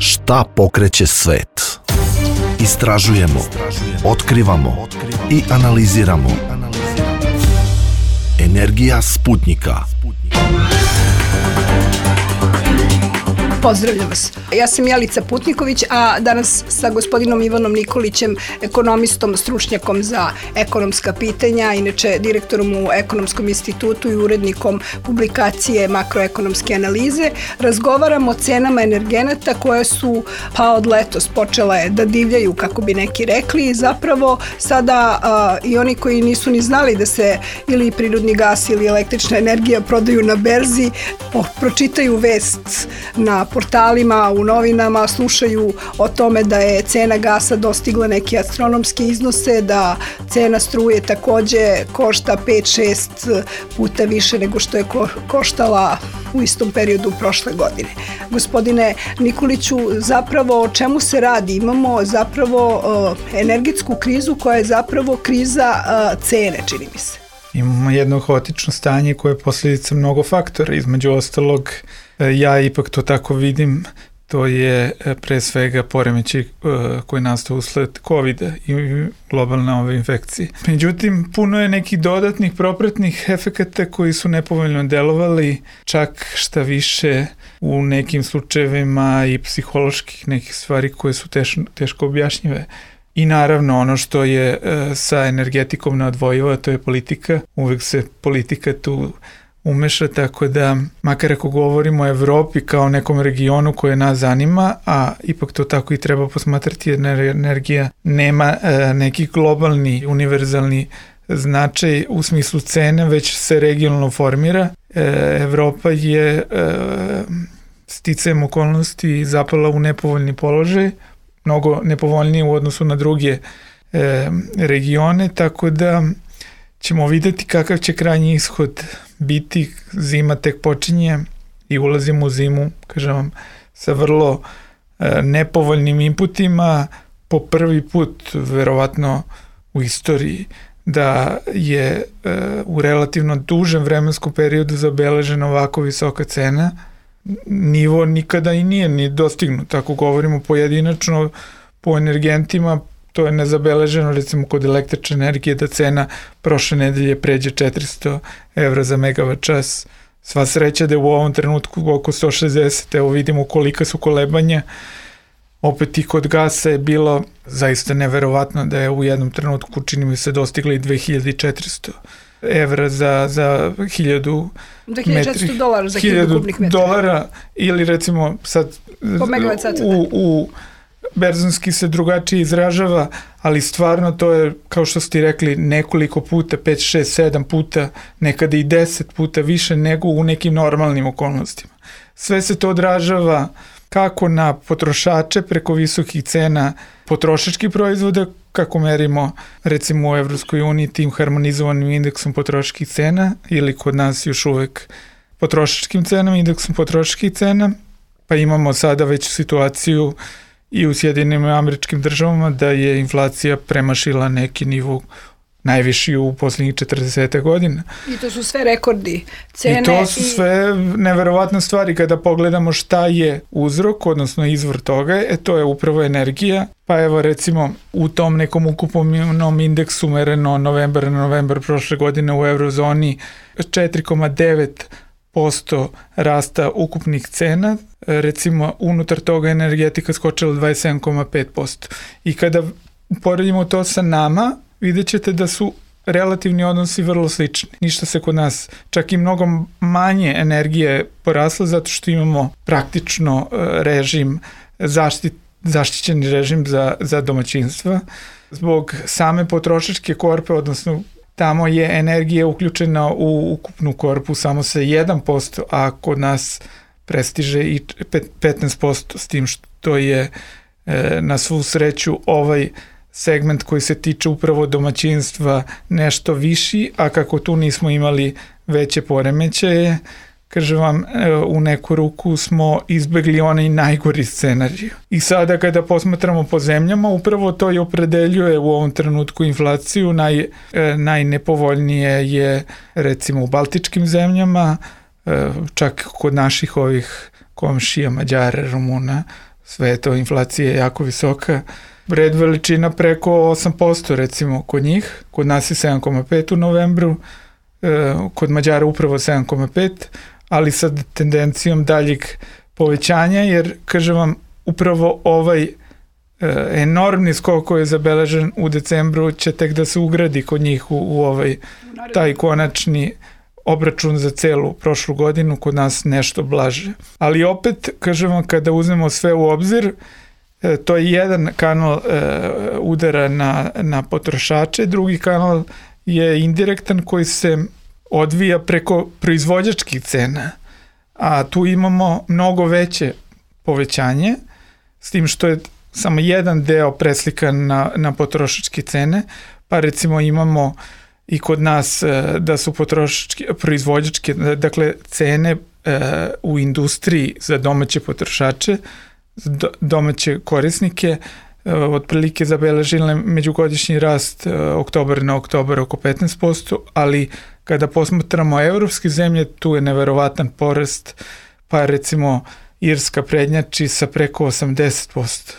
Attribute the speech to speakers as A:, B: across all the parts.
A: Šta pokreće svet? Istražujemo, otkrivamo i analiziramo. Energija Sputnika.
B: Pozdravljam vas. Ja sam Jelica Putniković, a danas sa gospodinom Ivanom Nikolićem, ekonomistom, stručnjakom za ekonomska pitanja, inače direktorom u Ekonomskom institutu i urednikom publikacije Makroekonomske analize, razgovaramo o cenama energenata koje su od letos počele da divljaju, kako bi neki rekli, i zapravo sada i oni koji nisu ni znali da se ili prirodni gas ili električna energija prodaju na berzi, pročitaju vest na portalima, u novinama, slušaju o tome da je cena gasa dostigla neke astronomske iznose, da cena struje takođe košta 5-6 puta više nego što je koštala u istom periodu prošle godine. Gospodine Nikoliću, zapravo o čemu se radi? Imamo zapravo energetsku krizu koja je zapravo kriza cene, čini mi se.
C: Imamo jedno haotično stanje koje je posljedica mnogo faktora. Između ostalog, ja ipak to tako vidim, to je pre svega poremećaj koji nastao usled COVID-a i globalne ove infekcije. Međutim, puno je nekih dodatnih propratnih efekata koji su nepovoljno delovali, čak šta više u nekim slučajevima i psiholoških nekih stvari koje su teško objašnjive. I naravno ono što je sa energetikom neodvojivo, to je politika. Uvek se politika tu umeša, tako da makar ako govorimo o Evropi kao nekom regionu koje nas zanima, a ipak to tako i treba posmatrati jer energija nema neki globalni, univerzalni značaj u smislu cene, već se regionalno formira. Evropa je sticajem okolnosti zapala u nepovoljni položaj, mnogo nepovoljnije u odnosu na druge regione, tako da ćemo videti kakav će krajnji ishod biti. Zima tek počinje i ulazimo u zimu, kažem vam, sa vrlo nepovoljnim inputima, po prvi put verovatno u istoriji da je u relativno dužem vremenskom periodu zabeležena ovako visoka cena. Nivo nikada i nije ni dostignut. Ako govorimo pojedinačno po energentima, to je nezabeleženo, recimo kod električne energije, da cena prošle nedelje pređe 400 evra za megavat čas. Sva sreća da je u ovom trenutku oko 160, evo vidimo kolika su kolebanja. Opet i kod gasa je bilo zaista neverovatno da je u jednom trenutku, čini mi se, dostigli 2400 evra za 1000
B: $2400 za 1000 kubnih metara.
C: $1000 ili recimo sad u berzonski se drugačije izražava, ali stvarno to je, kao što ste rekli, nekoliko puta, 5, 6, 7 puta, nekada i 10 puta više nego u nekim normalnim okolnostima. Sve se to odražava kako na potrošače preko visokih cena potrošačkih proizvoda, kako merimo recimo u Evropskoj uniji tim harmonizovanim indeksom potrošačkih cena ili kod nas još uvek potrošačkim cenama, indeksom potrošačkih cena, pa imamo sada već situaciju i u Sjedinjenim Američkim Državama da je inflacija premašila neki nivo najviši u poslednjih 40 godina.
B: I to su sve rekordi cene.
C: I to su sve neverovatne stvari kada pogledamo šta je uzrok, odnosno izvor toga, to je upravo energija. Pa evo recimo u tom nekom ukupnom indeksu mereno novembar prošle godine u eurozoni 4,9% rasta ukupnih cena, recimo unutar toga energetika skočila 27,5%. I kada poredimo to sa nama, vidjet ćete da su relativni odnosi vrlo slični. Ništa se kod nas, čak i mnogo manje energije poraslo zato što imamo praktično režim, zaštićeni režim za domaćinstva. Zbog same potrošačke korpe, odnosno tamo je energija uključena u ukupnu korpu samo sa 1%, a kod nas prestiže i 15%, s tim što je na svu sreću ovaj segment koji se tiče upravo domaćinstva nešto viši, a kako tu nismo imali veće poremećaje, kažem vam, u neku ruku smo izbegli onaj najgori scenarij. I sada kada posmatramo po zemljama, upravo to i opredeljuje u ovom trenutku inflaciju. Najnepovoljnije je recimo u baltičkim zemljama, čak kod naših ovih komšija, Mađara, Rumuna, sveta, inflacija je jako visoka, red veličina preko 8% recimo kod njih, kod nas je 7,5 u novembru, kod Mađara upravo 7,5, ali sa tendencijom daljeg povećanja, jer kažem vam, upravo ovaj enormni skok koji je zabeležen u decembru će tek da se ugradi kod njih u ovaj taj konačni obračun za celu prošlu godinu, kod nas nešto blaže. Ali opet, kažem vam, kada uzmemo sve u obzir, to je jedan kanal udara na potrošače, drugi kanal je indirektan koji se odvija preko proizvođačkih cena, a tu imamo mnogo veće povećanje, s tim što je samo jedan deo preslikan na potrošačke cene, pa recimo imamo i kod nas da su proizvođačke, dakle cene u industriji za domaće potrošače, domaće korisnike, otprilike zabeležile međugodišnji rast oktobar na oktobar oko 15%, ali kada posmatramo evropske zemlje, tu je neverovatan porast, pa recimo Irska prednjači sa preko 80%.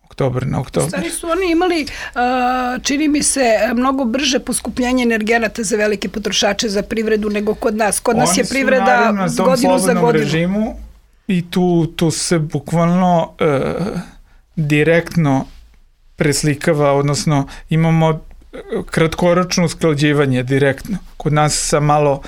C: Oktobar na oktobar.
B: Stari su oni imali, čini mi se, mnogo brže poskupljenje energenata za velike potrošače, za privredu nego kod nas. Kod nas je privreda godinu za godinu. Oni su naravno na tom slobodnom
C: režimu i tu se bukvalno direktno preslikava, odnosno imamo kratkoročno usklađivanje direktno. Kod nas sa malo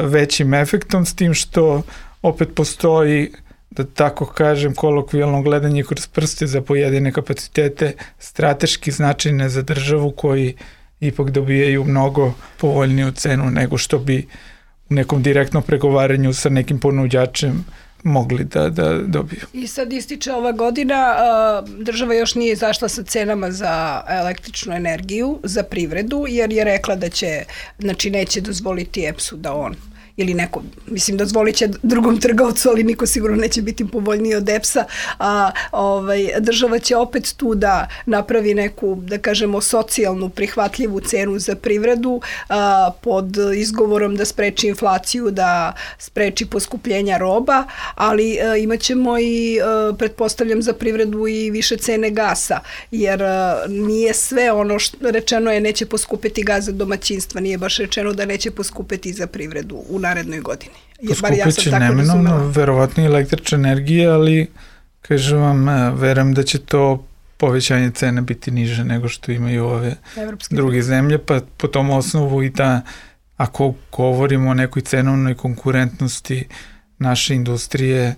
C: većim efektom, s tim što opet postoji, da tako kažem, kolokvijalno gledanje kroz prste za pojedine kapacitete strateški značajne za državu, koji ipak dobijaju mnogo povoljniju cenu nego što bi u nekom direktnom pregovaranju sa nekim ponuđačem mogli da dobiju. I
B: sad ističe ova godina, država još nije izašla sa cenama za električnu energiju, za privredu, jer je rekla da će, znači neće dozvoliti EPS-u da on ili neko, mislim, dozvolit će drugom trgovcu, ali niko sigurno neće biti povoljniji od EPS-a, država će opet tu da napravi neku, da kažemo, socijalnu prihvatljivu cenu za privredu, pod izgovorom da spreči inflaciju, da spreči poskupljenja roba, ali imat ćemo i, pretpostavljam, za privredu i više cene gasa, jer nije sve ono što rečeno je neće poskupiti gas za domaćinstva, nije baš rečeno da neće poskupiti za privredu u narednoj godini.
C: Poskupit će neminovno, verovatno i električna energija, ali kažem vam, verujem da će to povećanje cena biti niže nego što imaju ove druge zemlje, pa po tom osnovu i da, ako govorimo o nekoj cenovnoj konkurentnosti naše industrije,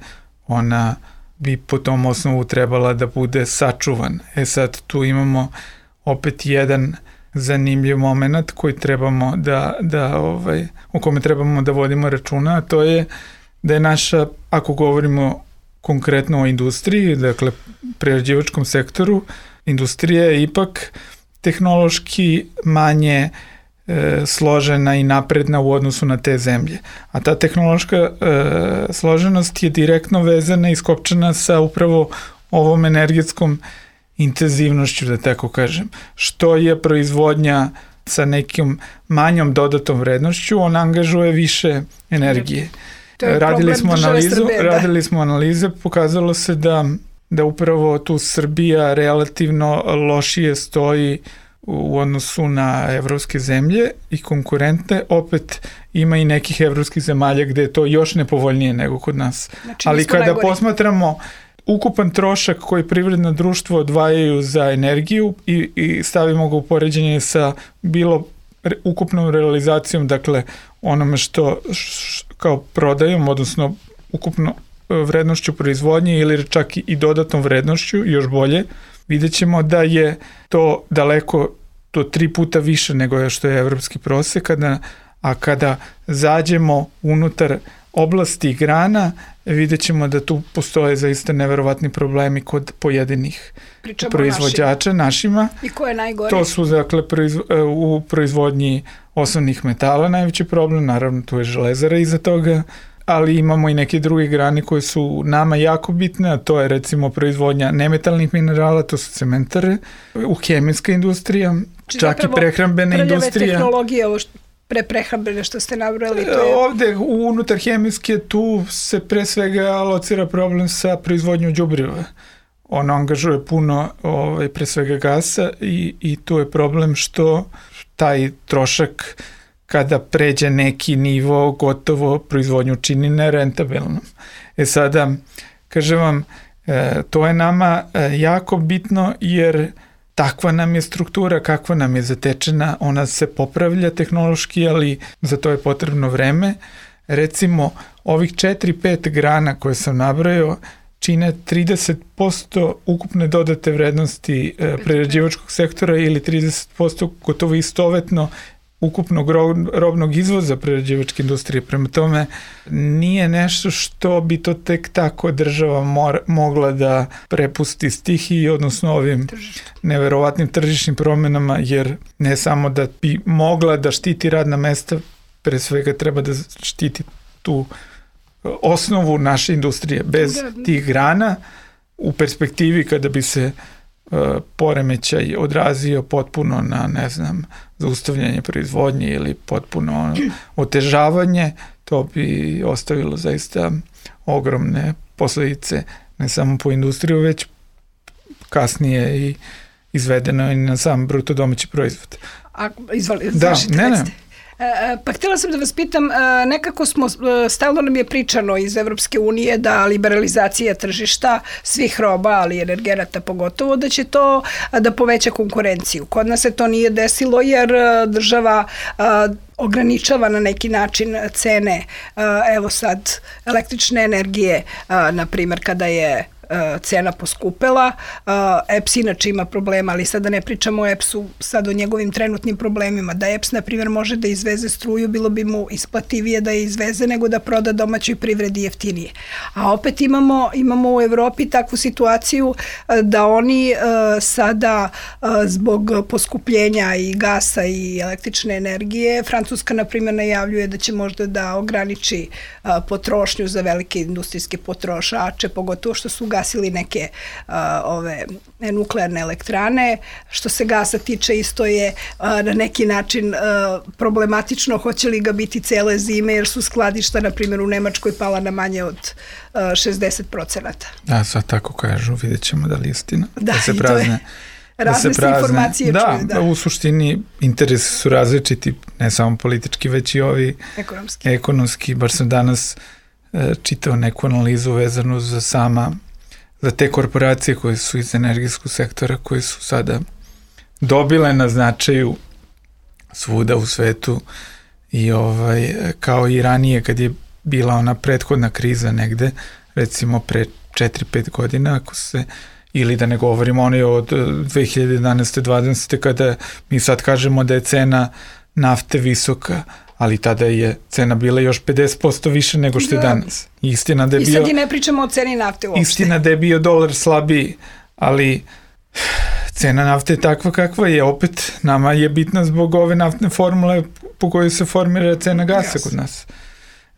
C: ona bi po tom osnovu trebala da bude sačuvan. Sad tu opet jedan zanimljiv moment koji trebamo o kome trebamo da vodimo računa, a to je da je naša, ako govorimo konkretno o industriji, dakle prerađivačkom sektoru, industrija je ipak tehnološki manje složena i napredna u odnosu na te zemlje. A ta tehnološka složenost je direktno vezana i skopčana sa upravo ovom energetskom intenzivnošću, da tako kažem. Što je proizvodnja sa nekim manjom dodatom vrednošću, on angažuje više energije. Radili smo analize, pokazalo se da upravo tu Srbija relativno lošije stoji u odnosu na evropske zemlje i konkurente. Opet ima i nekih evropskih zemalja gde je to još nepovoljnije nego kod nas. Znači, ali kada posmatramo ukupan trošak koji privredno društvo odvajaju za energiju i stavimo ga u poređenje sa bilo ukupnom realizacijom, dakle onome što kao prodajom, odnosno ukupno vrednošću proizvodnje ili čak i dodatnom vrednošću, još bolje, vidjet ćemo da je to daleko do 3 puta više nego što je evropski prosek, a kada zađemo unutar oblasti i grana, vidjet ćemo da tu postoje zaista neverovatni problemi kod pojedinih proizvođača našima.
B: I ko je najgore?
C: To su, dakle, u proizvodnji osnovnih metala najveći problem, naravno tu je železara iza toga, ali imamo i neke druge grane koje su nama jako bitne, a to je recimo proizvodnja nemetalnih minerala, to su cementare, hemijska industrija, čak i prehrambena industrija.
B: Prljave tehnologije, ovo prehrambene što ste nabrali.
C: Ovde unutar hemijske tu se pre svega alocira problem sa proizvodnjom đubriva. on angažuje puno pre svega gasa i tu je problem što taj trošak kada pređe neki nivo gotovo proizvodnju čini nerentabilnom. Sada, kažem vam, to je nama jako bitno jer takva nam je struktura, kakva nam je zatečena, ona se popravlja tehnološki, ali za to je potrebno vreme. Recimo, ovih 4-5 grana koje sam nabrojao čine 30% ukupne dodate vrednosti prerađivačkog sektora ili 30% gotovo istovetno ukupnog robnog izvoza prerađivačke industrije. Prema tome, nije nešto što bi to tek tako država mogla da prepusti stihiji, odnosno ovim neverovatnim tržišnim promenama, jer ne samo da bi mogla da štiti radna mesta, pre svega treba da štiti tu osnovu naše industrije. Bez tih grana, u perspektivi kada bi se poremećaj odrazio potpuno na, ne znam, zaustavljanje proizvodnje ili potpuno otežavanje, to bi ostavilo zaista ogromne posledice, ne samo po industriju, već kasnije i izvedeno i na sam bruto domaći proizvod.
B: Ne. Pa htjela sam da vas pitam, nekako stalno nam je pričano iz Evropske unije da liberalizacija tržišta svih roba, ali i energenata pogotovo, da će to da poveća konkurenciju. Kod nas se to nije desilo jer država ograničava na neki način cene, evo sad, električne energije, na primjer kada je cena poskupela. EPS inače ima problema, ali sada ne pričamo o EPS-u, sad o njegovim trenutnim problemima. Da EPS, na primjer, može da izveze struju, bilo bi mu isplativije da je izveze nego da proda domaćoj privredi jeftinije. A opet imamo u Evropi takvu situaciju da oni sada zbog poskupljenja i gasa i električne energije, Francuska, na primjer, najavljuje da će možda da ograniči potrošnju za velike industrijske potrošače, pogotovo što su gasili neke nuklearne elektrane. Što se gasa tiče, isto je na neki način problematično, hoće li ga biti cele zime, jer su skladišta, na primjer, u Nemačkoj pala na manje od 60%.
C: Da, sad tako kažu, vidjet ćemo da li je istina.
B: Da se prazne. Razne se informacije čuju.
C: Da, u suštini interesi su različiti, ne samo politički, već i ovi ekonomski. Baš sam danas čitao neku analizu vezanu za te korporacije koje su iz energetskog sektora, koje su sada dobile na značaju svuda u svetu i kao i ranije kad je bila ona prethodna kriza negde, recimo pre 4-5 godina, ako se, ili da ne govorimo oni od 2011-2020 kada mi sad kažemo da je cena nafte visoka, ali tada je cena bila još 50% više nego što je danas. Istina da je
B: I sad i ne pričamo o ceni nafte uopšte.
C: Istina da je bio dolar slabiji, ali cena nafte je takva kakva je. Opet nama je bitna zbog ove naftne formule po kojoj se formira cena gasa kod nas.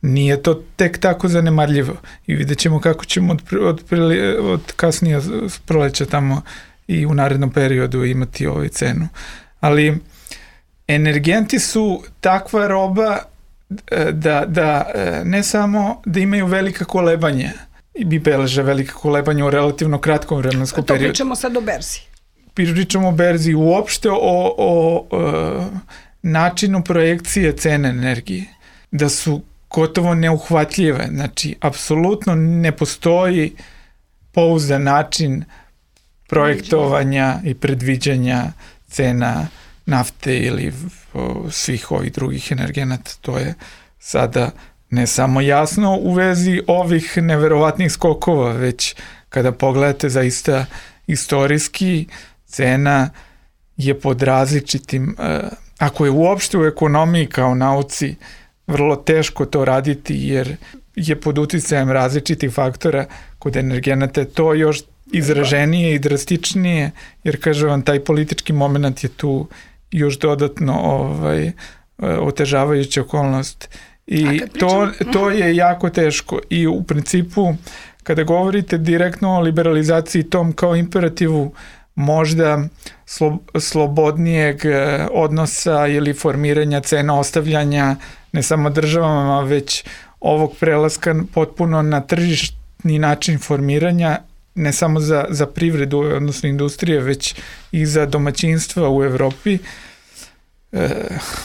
C: Nije to tek tako zanemarljivo i vidjet ćemo kako ćemo od kasnije proleća tamo i u narednom periodu imati ovu cenu. Ali energenti su takva roba da ne samo da imaju velika kolebanja i beleže velika kolebanja u relativno kratkom vremenskom periodu.
B: To pričamo sad o berzi.
C: Pričamo o berzi, uopšte o načinu projekcije cene energije. Da su gotovo neuhvatljive. Znači, apsolutno ne postoji pouzdan način projektovanja i predviđanja cena nafte ili svih ovih drugih energenata. To je sada ne samo jasno u vezi ovih neverovatnih skokova, već kada pogledate zaista istorijski, cena je pod različitim, ako je uopšte u ekonomiji kao nauci vrlo teško to raditi jer je pod uticajem različitih faktora, kod energenata je to još izraženije i drastičnije, jer kažem vam, taj politički moment je tu još dodatno otežavajuća okolnost i to je jako teško i u principu kada govorite direktno o liberalizaciji tom kao imperativu možda slobodnijeg odnosa ili formiranja cena, ostavljanja ne samo državama, već ovog prelaska potpuno na tržišni način formiranja ne samo za privredu, odnosno industrije, već i za domaćinstva u Evropi.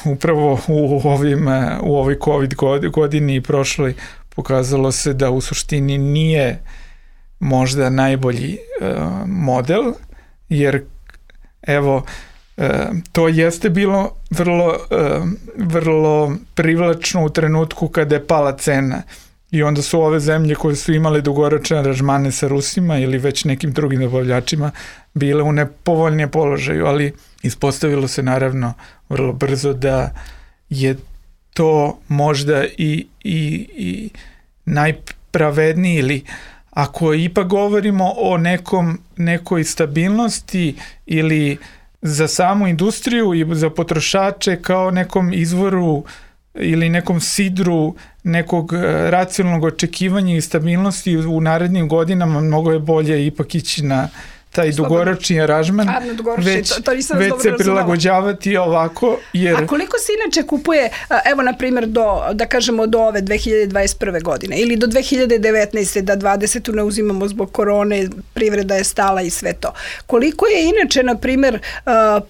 C: Upravo u ovoj COVID godini i prošloj pokazalo se da u suštini nije možda najbolji model, jer evo, to jeste bilo vrlo privlačno u trenutku kada je pala cena i onda su ove zemlje koje su imale dugoročne aranžmane sa Rusima ili već nekim drugim dobavljačima bile u nepovoljnijem položaju, ali ispostavilo se naravno vrlo brzo da je to možda i najpravedniji, ili ako ipak govorimo o nekoj stabilnosti ili za samu industriju i za potrošače kao nekom izvoru ili nekom sidru nekog racionalnog očekivanja i stabilnosti u narednim godinama, mnogo je bolje ipak ići na taj dugoročni aranžman, već se prilagođavati ovako.
B: A koliko se inače kupuje, evo na primjer da kažemo do ove 2021. godine ili do 2019. da 20. ne uzimamo zbog korone, privreda je stala i sve to. Koliko je inače na primjer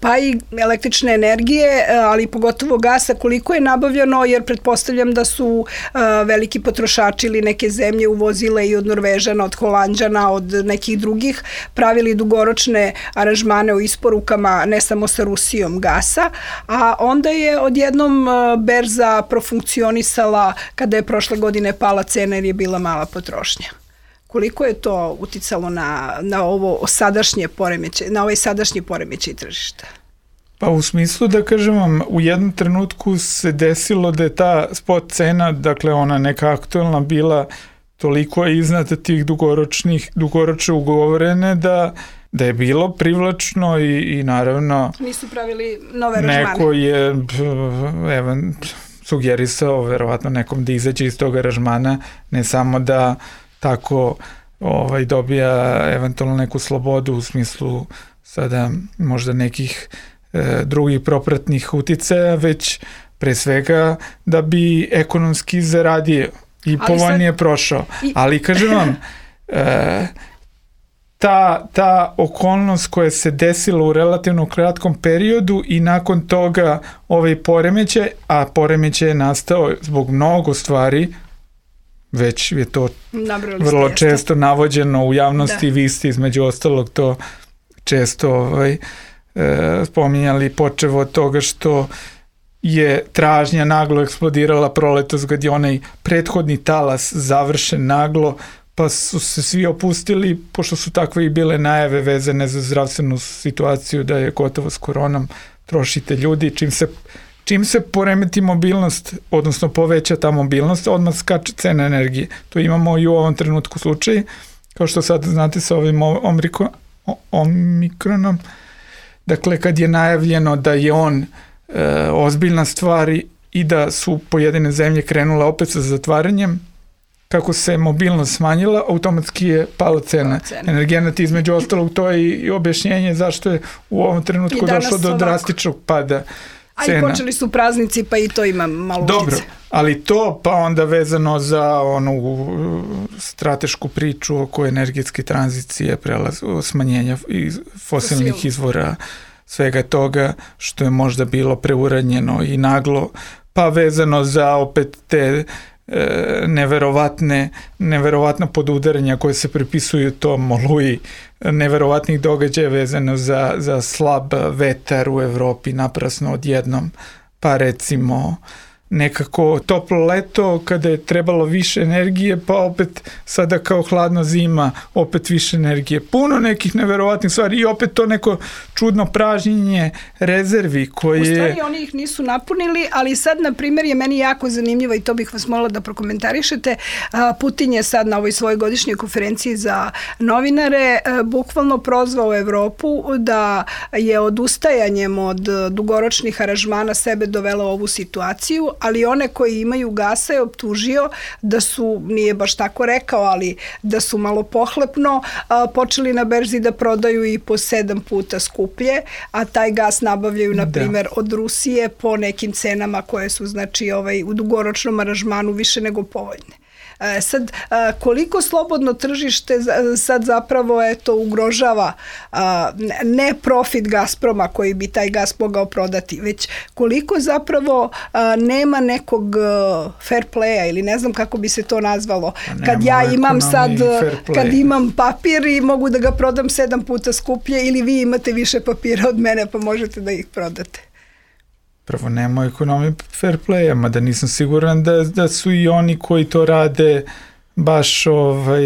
B: pa i električne energije, ali pogotovo gasa, koliko je nabavljeno, jer pretpostavljam da su veliki potrošači ili neke zemlje uvozile i od Norvežana, od Holanđana, od nekih drugih, pravili dugoročne aranžmane u isporukama ne samo sa Rusijom gasa, a onda je odjednom berza profunkcionisala kada je prošle godine pala cena jer je bila mala potrošnja. Koliko je to uticalo na ovo sadašnje poremećaj, na ovaj sadašnji poremećaj tržišta?
C: Pa u smislu da kažem vam, u jednom trenutku se desilo da je ta spot cena, dakle ona neka aktualna, bila toliko iznad tih dugoročno ugovorene da je bilo privlačno i naravno
B: nisu pravili nove aranžmane.
C: Neko je sugerisao verovatno nekom da izađe iz tog aranžmana, ne samo da tako dobija eventualno neku slobodu u smislu sada možda nekih drugih propratnih uticaja, već pre svega da bi ekonomski zaradio i povoljnije prošao. Ali kažem vam, ta okolnost koja se desila u relativno kratkom periodu i nakon toga ovaj poremećaj, a poremećaj je nastao zbog mnogo stvari, već je to vrlo često navođeno u javnosti, vi ste između ostalog to često spominjali, počev od toga što je tražnja naglo eksplodirala proletos kad je onaj prethodni talas završen naglo, pa su se svi opustili, pošto su takve i bile najave vezane za zdravstvenu situaciju da je gotovo s koronom, trošite ljudi, čim se poremeti mobilnost, odnosno poveća ta mobilnost, odmah skače cena energije. To imamo i u ovom trenutku slučaj, kao što sad znate sa ovim omikronom. Dakle, kad je najavljeno da je on ozbiljna stvar i da su pojedine zemlje krenule opet sa zatvaranjem, kako se mobilnost smanjila, automatski je pala cena energenata. Između ostalog, to je i objašnjenje zašto je u ovom trenutku došlo do drastičnog pada cena.
B: A i počeli su praznici, pa i to ima malo učice.
C: Dobro, ali to pa onda vezano za onu stratešku priču oko energetske tranzicije, smanjenja fosilnih izvora, svega toga što je možda bilo preuranjeno i naglo, pa vezano za opet te neverovatna podudaranja koje se pripisuju tom oluji, neverovatnih događaja vezano za slab vetar u Evropi naprasno odjednom, pa recimo nekako toplo leto kada je trebalo više energije, pa opet sada kao hladna zima opet više energije. Puno nekih neverovatnih stvari i opet to neko čudno pražnjenje rezervi koje...
B: U stvari oni ih nisu napunili, ali sad na primjer je meni jako zanimljivo i to bih vas molila da prokomentarišete. Putin je sad na ovoj svojoj godišnjoj konferenciji za novinare bukvalno prozvao Evropu da je odustajanjem od dugoročnih aranžmana sebe dovela u ovu situaciju, ali one koji imaju gasa je optužio da su, nije baš tako rekao, ali da su malo pohlepno počeli na berzi da prodaju i po 7 puta skuplje, a taj gas nabavljaju, na primjer, od Rusije po nekim cenama koje su, znači, u dugoročnom aranžmanu više nego povoljne. Sad, koliko slobodno tržište sad zapravo ugrožava ne profit Gazproma koji bi taj gas mogao prodati, već koliko zapravo nema nekog fair playa ili ne znam kako bi se to nazvalo. Kad ja imam sad, kad imam papir i mogu da ga prodam 7 puta skuplje ili vi imate više papira od mene pa možete da ih prodate.
C: Prvo, nema ekonomije fair playa, mada nisam siguran da su i oni koji to rade baš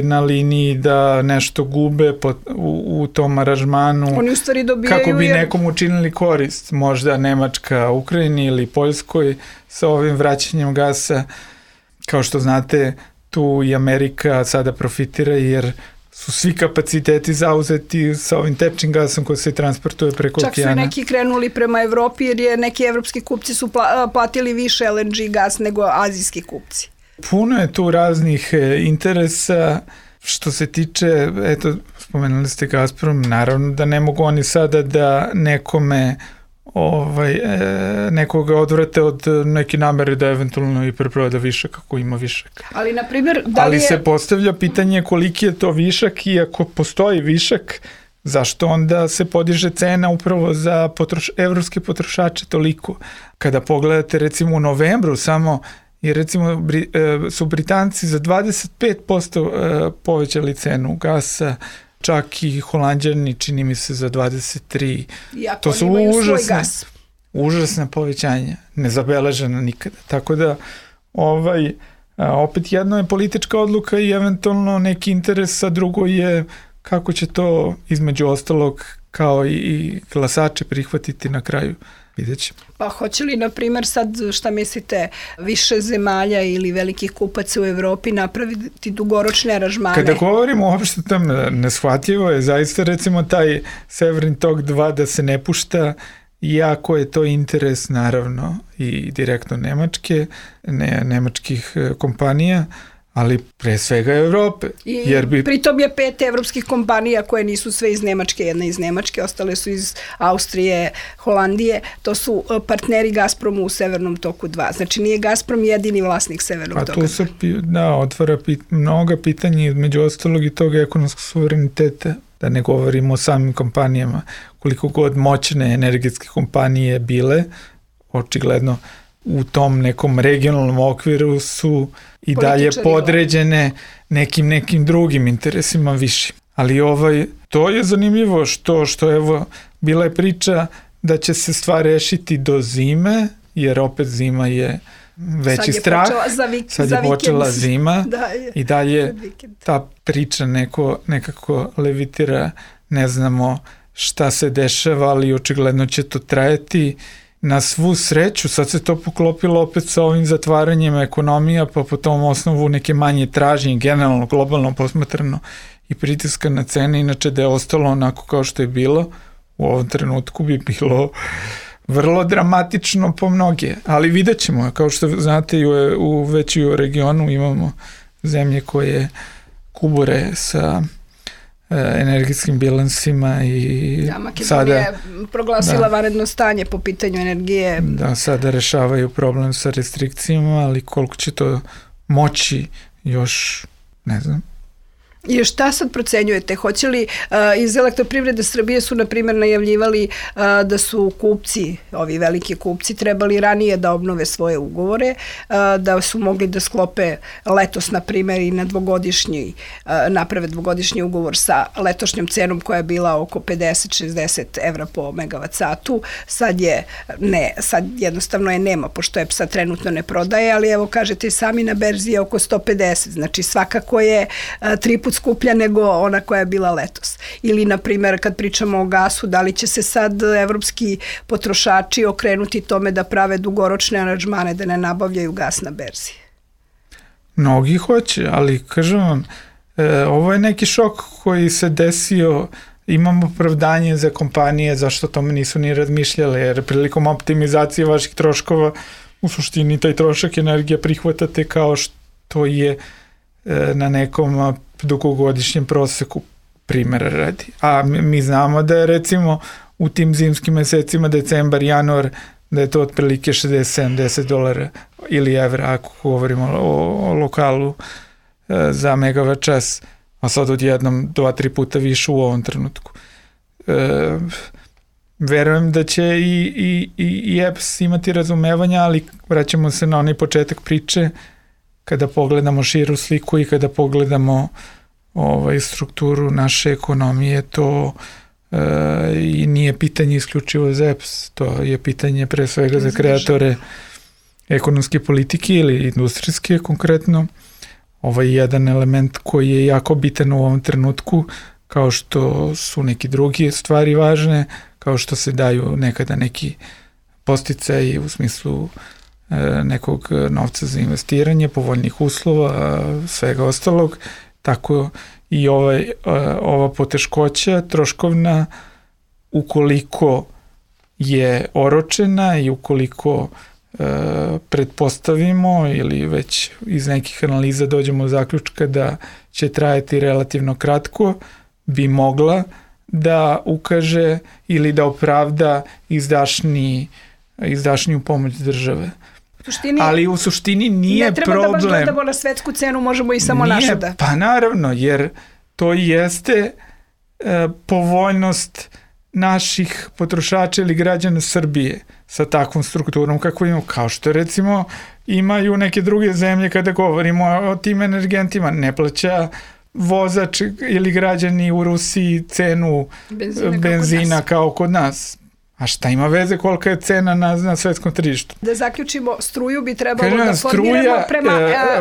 C: na liniji da nešto gube u tom aranžmanu.
B: Oni u stvari dobijaju
C: kako bi nekom učinili korist. Možda Nemačka, Ukrajini ili Poljskoj sa ovim vraćanjem gasa. Kao što znate, tu i Amerika sada profitira jer su svi kapaciteti zauzeti sa ovim tečnim gasom koji se transportuje preko
B: okeana.
C: Čak
B: su neki krenuli prema Evropi jer neki evropski kupci su platili više LNG gas nego azijski kupci.
C: Puno je tu raznih interesa. Što se tiče, eto, spomenuli ste Gazprom, naravno da ne mogu oni sada da nekome nekoga odvrate od neke namere da eventualno i preproda višak ako ima višak.
B: Ali, na primjer,
C: ali se postavlja pitanje koliki je to višak i ako postoji višak, zašto onda se podiže cena upravo za evropske potrošače toliko? Kada pogledate recimo u novembru samo i recimo su Britanci za 25% povećali cenu gasa, čak i Holanđani čini mi se za 23%.
B: Iako to su
C: užasna povećanja, nezabeležena nikada. Tako da opet jedno je politička odluka i eventualno neki interes, a drugo je kako će to između ostalog kao i glasače prihvatiti na kraju. Vidjet ćemo.
B: Pa hoće li, na primjer, sad šta mislite, više zemalja ili velikih kupaca u Evropi napraviti dugoročne aranžmane?
C: Kada govorimo uopšte tam neshvatljivo je zaista recimo taj Severin tok 2 da se ne pušta, iako je to interes naravno i direktno nemačkih kompanija, ali pre svega Evrope.
B: Pritom je 5 evropskih kompanija koje nisu sve iz Nemačke, jedna iz Nemačke, ostale su iz Austrije, Holandije, to su partneri Gazpromu u Severnom toku 2. Znači nije Gazprom jedini vlasnik Severnog toka 2.
C: A tu se otvara mnoga pitanja, među ostalog i tog ekonomskog suvereniteta, da ne govorimo o samim kompanijama. Koliko god moćne energetske kompanije bile, očigledno u tom nekom regionalnom okviru su i dalje podređene nekim drugim interesima više. Ali to je zanimljivo što evo bila je priča da će se stvar rešiti do zime, jer opet zima je veći strah. Sad je počela zima i dalje ta priča nekako levitira, ne znamo šta se dešava, ali očigledno će to trajati. Na svu sreću, sad se to poklopilo opet sa ovim zatvaranjem ekonomija, pa po tom osnovu neke manje tražnje, generalno, globalno posmatrano i pritiska na cene, inače da je ostalo onako kao što je bilo, u ovom trenutku bi bilo vrlo dramatično po mnoge, ali vidjet ćemo, kao što znate već i u regionu imamo zemlje koje kubure sa energetskim bilansima i
B: Makedonija je proglasila vanredno stanje po pitanju energije.
C: Da, sada rešavaju problem sa restrikcijama, ali koliko će to moći još, ne znam.
B: I šta sad procenjujete? Hoće li iz Elektroprivrede Srbije su na primjer najavljivali da su kupci, ovi veliki kupci, trebali ranije da obnove svoje ugovore, da su mogli da sklope letos na primjer i na naprave dvogodišnji ugovor sa letošnjom cenom koja je bila oko 50-60 evra po megavat satu. Sad jednostavno je nema, pošto je sad trenutno ne prodaje, ali evo kažete sami na berzi je oko 150, znači svakako je 3 puta skuplja nego ona koja je bila letos. Ili, na primjer, kad pričamo o gasu, da li će se sad evropski potrošači okrenuti tome da prave dugoročne aranžmane, da ne nabavljaju gas na berzi?
C: Mnogi hoće, ali kažem vam, ovo je neki šok koji se desio, imamo opravdanje za kompanije zašto tome nisu ni razmišljale, jer prilikom optimizacije vaših troškova u suštini taj trošak energije prihvatate kao što je na nekom dugogodišnjem proseku, primjera radi. A mi znamo da je recimo u tim zimskim mesecima, decembar, januar, da je to otprilike $60-70 ili evra, ako govorimo o lokalu za megawatt čas, a sad odjednom 2-3 puta više u ovom trenutku. Verujem da će i EPS imati razumevanja, ali vraćamo se na onaj početak priče, kada pogledamo širu sliku i kada pogledamo strukturu naše ekonomije, to i nije pitanje isključivo za EPS, to je pitanje pre svega za kreatore ekonomske politike ili industrijske konkretno. Jedan element koji je jako bitan u ovom trenutku, kao što su neki drugi stvari važne, kao što se daju nekada neki posticaji u smislu nekog novca za investiranje, povoljnih uslova, svega ostalog, tako i ova poteškoća troškovna, ukoliko je oročena i ukoliko pretpostavimo ili već iz nekih analiza dođemo do zaključka da će trajati relativno kratko, bi mogla da ukaže ili da opravda izdašniju pomoć države. Ali u suštini nije problem. Ne treba da baš
B: gledamo na svetsku cenu, možemo i samo našu da.
C: Pa naravno, jer to jeste povoljnost naših potrošača ili građana Srbije sa takvom strukturom kako imamo, kao što recimo imaju neke druge zemlje kada govorimo o tim energentima. Ne plaća vozač ili građani u Rusiji cenu benzina kao kod nas. A šta ima veze kolika je cena na svetskom tržištu?
B: Da zaključimo, struju bi trebalo da formiramo prema...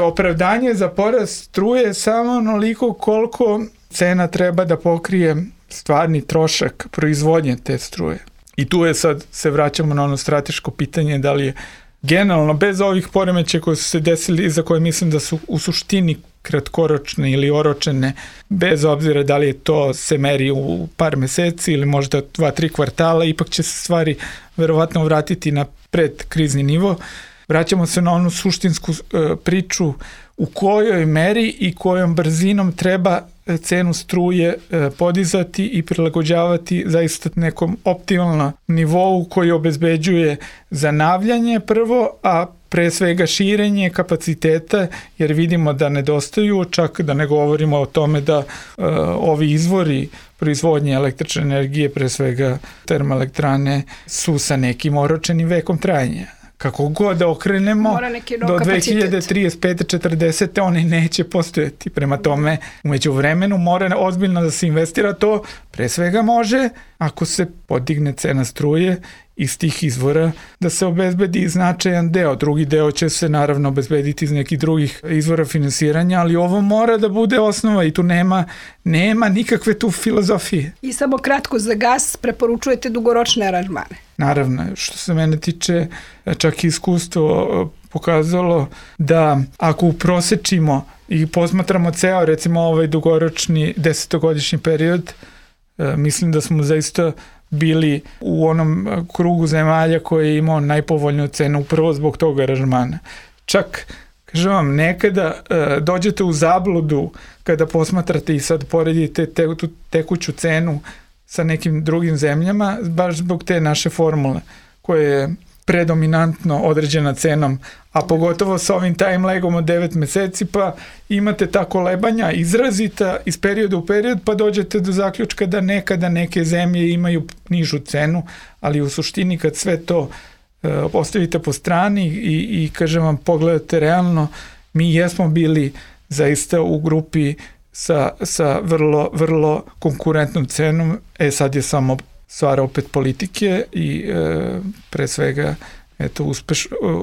C: Opravdanje za porast struje samo onoliko koliko cena treba da pokrije stvarni trošak proizvodnje te struje. I tu je sad, se vraćamo na ono strateško pitanje, da li je generalno, bez ovih poremećaja koji su se desili, za koje mislim da su u suštini kratkoročne ili oročene, bez obzira da li je to se meri u par meseci ili možda 2-3 kvartala, ipak će se stvari verovatno vratiti na predkrizni nivo. Vraćamo se na onu suštinsku priču u kojoj meri i kojom brzinom treba cenu struje podizati i prilagođavati zaista nekom optimalnom nivou koji obezbeđuje zanavljanje prvo, a pre svega širenje kapaciteta, jer vidimo da nedostaju, čak da ne govorimo o tome da ovi izvori proizvodnje električne energije, pre svega termoelektrane, su sa nekim oročenim vekom trajanja. Kako god da okrenemo, do 2035-40 oni neće postojati. Prema tome, umeđu vremenu mora ozbiljno da se investira. To pre svega može, ako se podigne cena struje iz tih izvora, da se obezbedi značajan deo. Drugi deo će se naravno obezbediti iz nekih drugih izvora finansiranja, ali ovo mora da bude osnova i tu nema nikakve tu filozofije.
B: I samo kratko za gas, preporučujete dugoročne aranžmane?
C: Naravno, što se mene tiče, čak i iskustvo pokazalo da ako uprosečimo i posmatramo ceo, recimo ovaj dugoročni 10-godišnji period, mislim da smo zaista bili u onom krugu zemalja koji je imao najpovoljniju cenu upravo zbog tog aranžmana. Čak, kažem vam, nekada dođete u zabludu kada posmatrate i sad poredite tu tekuću cenu sa nekim drugim zemljama, baš zbog te naše formule koje je predominantno određena cenom, a pogotovo sa ovim time lagom od 9 meseci, pa imate ta kolebanja izrazita iz perioda u period, pa dođete do zaključka da nekada neke zemlje imaju nižu cenu, ali u suštini kad sve to ostavite po strani i kažem vam, pogledate realno, mi jesmo bili zaista u grupi sa vrlo konkurentnom cenom. Sad je samo stvar opet politike i pre svega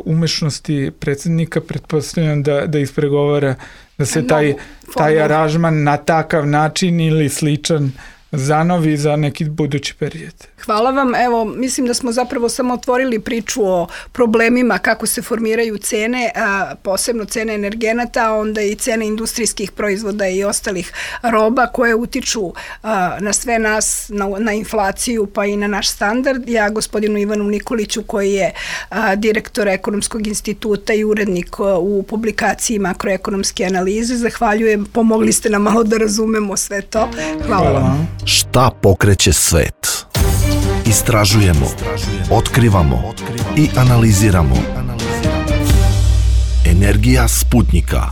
C: umešnosti predsjednika, pretpostavljam da ispregovara da se taj aranžman na takav način ili sličan zanovi za neki budući period.
B: Hvala vam. Evo, mislim da smo zapravo samo otvorili priču o problemima kako se formiraju cene, posebno cene energenata, a onda i cene industrijskih proizvoda i ostalih roba koje utiču na sve nas, na inflaciju pa i na naš standard. Ja gospodinu Ivanu Nikoliću, koji je direktor Ekonomskog instituta i urednik u publikaciji makroekonomske analize, zahvaljujem. Pomogli ste nam malo da razumemo sve to. Hvala vam.
A: Šta pokreće svet? Istražujemo, otkrivamo i analiziramo. Energija Sputnika.